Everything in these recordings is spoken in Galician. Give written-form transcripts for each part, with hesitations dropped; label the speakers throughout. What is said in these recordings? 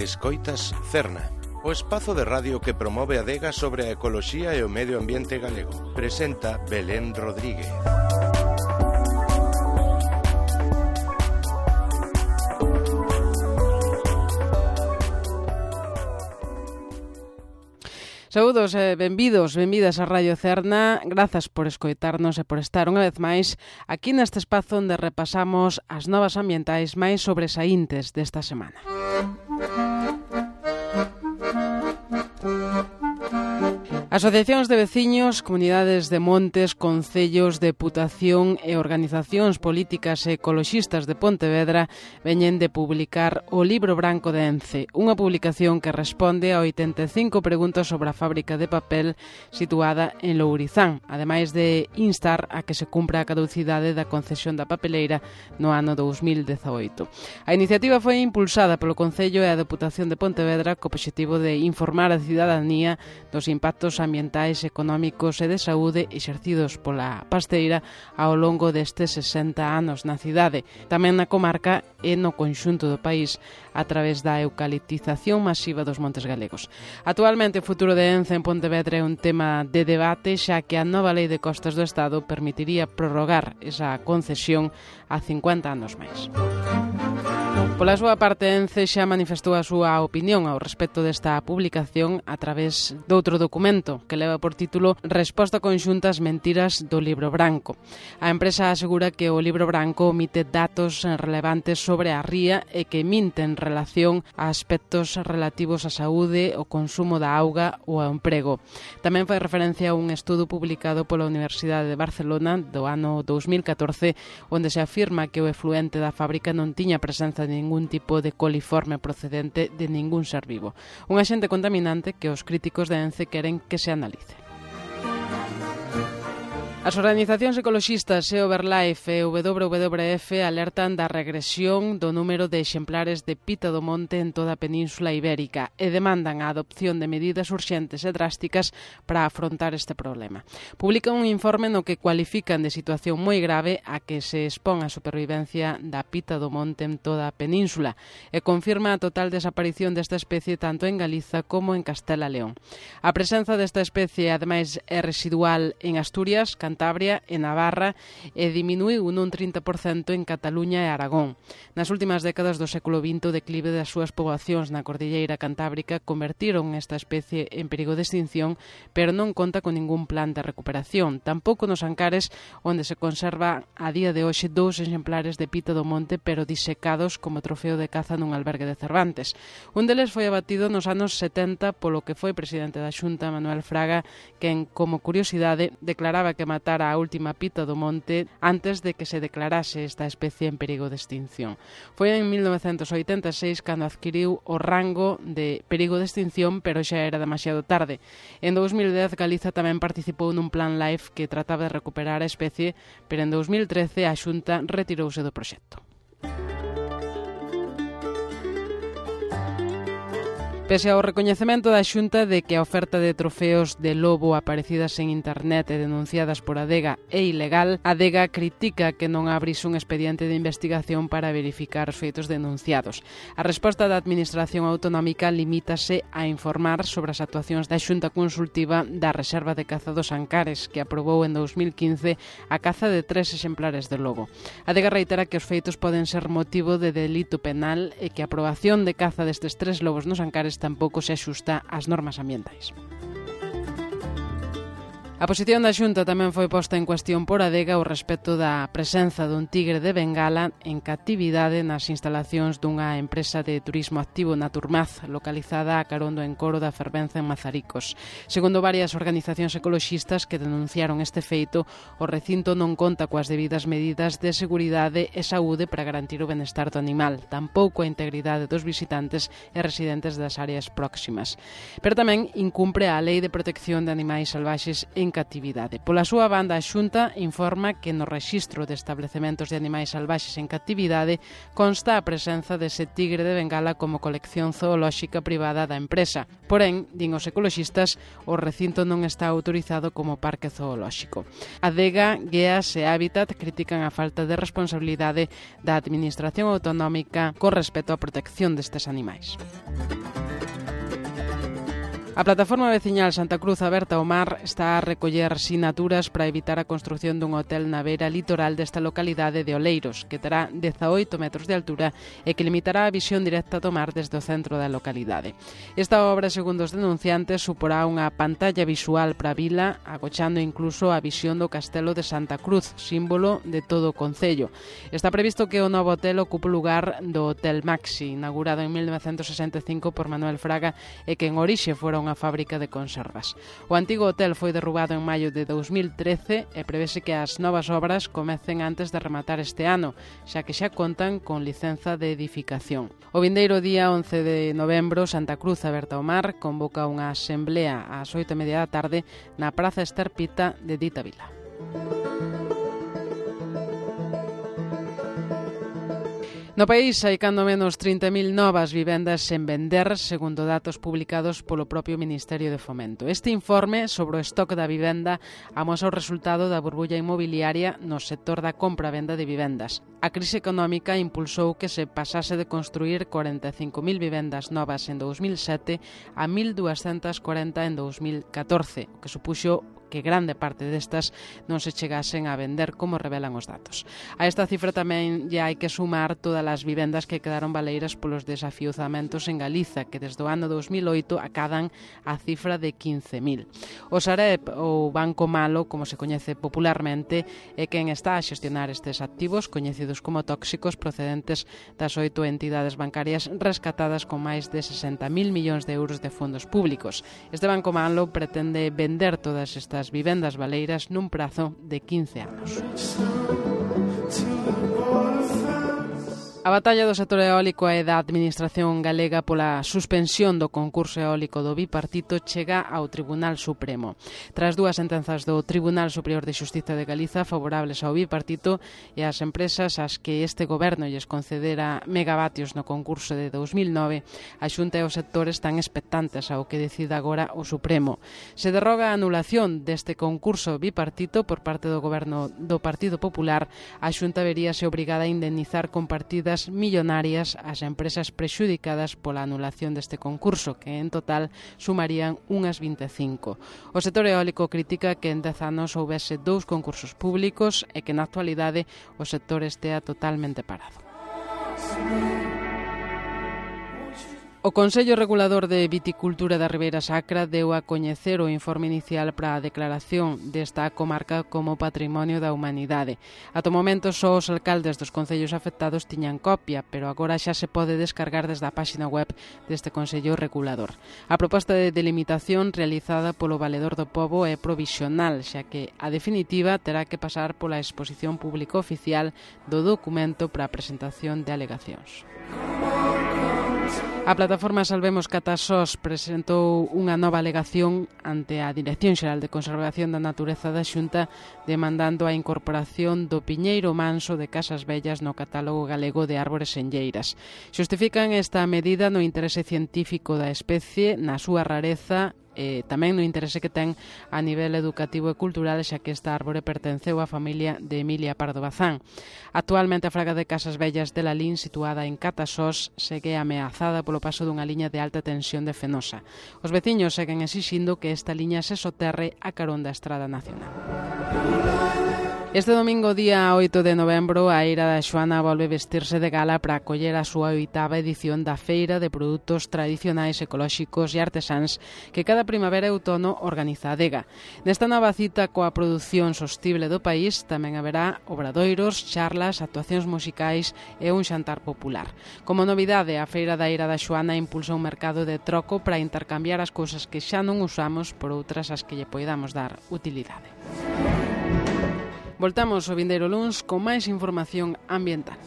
Speaker 1: Escoitas Cerna, o espazo de radio que promove a adega sobre a ecoloxía e o medio ambiente galego. Presenta Belén Rodríguez.
Speaker 2: Saúdos e benvidas a Radio Cerna. Grazas por escoitarnos e por estar unha vez máis aquí neste espazo onde repasamos as novas ambientais máis sobresaíntes desta semana. Asociacións de veciños, comunidades de montes, concellos, deputación e organizacións políticas e ecoloxistas de Pontevedra veñen de publicar o Libro Branco de Ence, unha publicación que responde a 85 preguntas sobre a fábrica de papel situada en Lourizán, ademais de instar a que se cumpra a caducidade da concesión da papeleira no ano 2018. A iniciativa foi impulsada polo Concello e a Deputación de Pontevedra co obxectivo de informar a cidadanía dos impactos ambientais, económicos e de saúde exercidos pola pasteira ao longo destes 60 anos na cidade, tamén na comarca e no conxunto do país a través da eucaliptización masiva dos montes galegos. Actualmente o futuro de Ence en Pontevedra é un tema de debate, xa que a nova lei de costas do Estado permitiría prorrogar esa concesión a 50 anos máis. Pola súa parte, Ence xa manifestou a súa opinión ao respecto desta publicación a través doutro documento que leva por título Resposta conxunta ás mentiras do Libro Branco. A empresa asegura que o Libro Branco omite datos relevantes sobre a ría e que minte en relación a aspectos relativos á saúde, o consumo da auga ou ao emprego. Tamén fai referencia a un estudo publicado pola Universidade de Barcelona do ano 2014 onde se afirma que o efluente da fábrica non tiña presenza de ningún tipo de coliforme procedente de ningún ser vivo. Un axente contaminante que os críticos de Ence queren que se analice. As organizacións ecoloxistas EOverLife e WWF alertan da regresión do número de exemplares de pita do monte en toda a Península Ibérica e demandan a adopción de medidas urxentes e drásticas para afrontar este problema. Publican un informe no que cualifican de situación moi grave a que se expón a supervivencia da pita do monte en toda a Península e confirma a total desaparición desta especie tanto en Galiza como en Castela e León. A presenza desta especie, ademais, é residual en Asturias, Cantabria e Navarra e diminuiu nun 30% en Cataluña e Aragón. Nas últimas décadas do século XX, o declive das súas poboacións na Cordilleira Cantábrica convertiron esta especie en perigo de extinción, pero non conta con ningún plan de recuperación. Tampouco nos Ancares, onde se conserva a día de hoxe 2 exemplares de pita do monte, pero disecados como trofeo de caza nun albergue de Cervantes. Un deles foi abatido nos anos 70 polo que foi presidente da Xunta, Manuel Fraga, quen, como curiosidade, declaraba que matar a última pita do monte antes de que se declarase esta especie en perigo de extinción. Foi en 1986 cando adquiriu o rango de perigo de extinción, pero xa era demasiado tarde. En 2010 Galiza tamén participou nun plan LIFE que trataba de recuperar a especie, pero en 2013 a Xunta retirouse do proxecto. Pese ao recoñecemento da Xunta de que a oferta de trofeos de lobo aparecidas en internet e denunciadas por Adega é ilegal, Adega critica que non abrise un expediente de investigación para verificar os feitos denunciados. A resposta da Administración Autonómica limítase a informar sobre as actuacións da Xunta Consultiva da Reserva de Caza dos Ancares, que aprobou en 2015 a caza de 3 exemplares de lobo. Adega reitera que os feitos poden ser motivo de delito penal e que a aprobación de caza destes 3 lobos nos Ancares tampouco se axusta ás normas ambientais. A posición da Xunta tamén foi posta en cuestión por Adega ao respecto da presenza dun tigre de Bengala en catividade nas instalacións dunha empresa de turismo activo Naturmaz, localizada a carón do encoro da Fervenza en Mazaricos. Segundo varias organizacións ecoloxistas que denunciaron este feito, o recinto non conta coas debidas medidas de seguridade e saúde para garantir o benestar do animal, tampouco a integridade dos visitantes e residentes das áreas próximas. Pero tamén incumpre a Lei de Protección de Animais Salvaxes en catividade. Pola súa banda, a Xunta informa que no rexistro de establecementos de animais salvaxes en catividade consta a presenza dese tigre de Bengala como colección zoolóxica privada da empresa. Porén, din os ecoloxistas, o recinto non está autorizado como parque zoolóxico. Adega, Gueas e Hábitat critican a falta de responsabilidade da Administración autonómica con respecto á protección destes animais. A plataforma veciñal Santa Cruz Aberta ao Mar está a recoller sinaturas para evitar a construción dun hotel na beira litoral desta localidade de Oleiros, que terá 18 metros de altura e que limitará a visión directa do mar desde o centro da localidade. Esta obra, segundo os denunciantes, suporá unha pantalla visual para a vila, agochando incluso a visión do castelo de Santa Cruz, símbolo de todo o concello. Está previsto que o novo hotel ocupe o lugar do Hotel Maxi, inaugurado en 1965 por Manuel Fraga e que en orixe fora unha fábrica de conservas. O antigo hotel foi derrubado en maio de 2013 e prevese que as novas obras comecen antes de rematar este ano, xa que xa contan con licenza de edificación. O vindeiro día 11 de novembro, Santa Cruz Aberta ao Mar convoca unha asemblea ás 8:30 da tarde na Praza Ester Pita de dita vila. No país hai cando menos 30.000 novas vivendas sen vender, segundo datos publicados polo propio Ministerio de Fomento. Este informe sobre o estoque da vivenda amosa o resultado da burbulla inmobiliaria no sector da compra-venda de vivendas. A crise económica impulsou que se pasase de construir 45.000 vivendas novas en 2007 a 1.240 en 2014, o que supuxo que grande parte destas non se chegasen a vender, como revelan os datos. A esta cifra tamén lle hai que sumar todas as vivendas que quedaron baleiras polos desafiuzamentos en Galiza, que desde o ano 2008 acadan a cifra de 15.000. O Sareb, ou Banco Malo, como se coñece popularmente, é quen está a xestionar estes activos, coñecidos como tóxicos, procedentes das 8 entidades bancarias rescatadas con máis de 60.000 millóns de euros de fondos públicos. Este Banco Malo pretende vender todas estas vivendas baleiras nun prazo de 15 anos. A batalla do sector eólico e da Administración galega pola suspensión do concurso eólico do bipartito chega ao Tribunal Supremo. Tras dúas sentenzas do Tribunal Superior de Xustiza de Galiza favorables ao bipartito e ás empresas ás que este goberno lles concedera megavatios no concurso de 2009, a Xunta e o sector están expectantes ao que decida agora o Supremo. Se derroga a anulación deste concurso bipartito por parte do goberno do Partido Popular, a Xunta veríase obrigada a indemnizar con partidas millonarias ás empresas prexudicadas pola anulación deste concurso, que en total sumarían unhas 25. O sector eólico critica que en 10 anos houbese 2 concursos públicos e que na actualidade o sector estea totalmente parado. O Consello Regulador de Viticultura da Ribeira Sacra deu a coñecer o informe inicial para a declaración desta comarca como Patrimonio da Humanidade. Ata o momento só os alcaldes dos concellos afectados tiñan copia, pero agora xa se pode descargar desde a páxina web deste Consello Regulador. A proposta de delimitación realizada polo Valedor do Pobo é provisional, xa que a definitiva terá que pasar pola exposición pública oficial do documento para a presentación de alegacións. A plataforma Salvemos Catasós presentou unha nova alegación ante a Dirección Xeral de Conservación da Natureza da Xunta demandando a incorporación do piñeiro manso de Casas Vellas no catálogo galego de árbores senlleiras. Xustifican esta medida no interese científico da especie, na súa rareza e tamén no interese que ten a nivel educativo e cultural, xa que esta árbore pertenceu á familia de Emilia Pardo Bazán. Actualmente a fraga de Casas Vellas de Lalín, situada en Catasós, segue ameazada polo paso dunha liña de alta tensión de Fenosa. Os veciños seguen exixindo que esta liña se soterre a carón da Estrada Nacional. Este domingo, día 8 de novembro, a Eira da Xoana volve vestirse de gala para acoller a súa 8ª edición da Feira de Produtos Tradicionais Ecolóxicos e Artesáns que cada primavera e outono organiza a Adega. Nesta nova cita coa produción sostible do país tamén haberá obradoiros, charlas, actuacións musicais e un xantar popular. Como novidade, a Feira da Eira da Xoana impulsa un mercado de troco para intercambiar as cousas que xa non usamos por outras as que lle poidamos dar utilidade. Voltamos o vindeiro luns con máis información ambiental.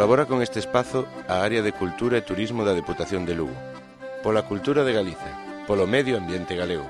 Speaker 1: Colabora con este espazo a área de Cultura e Turismo da Deputación de Lugo. Pola cultura de Galiza, polo medio ambiente galego.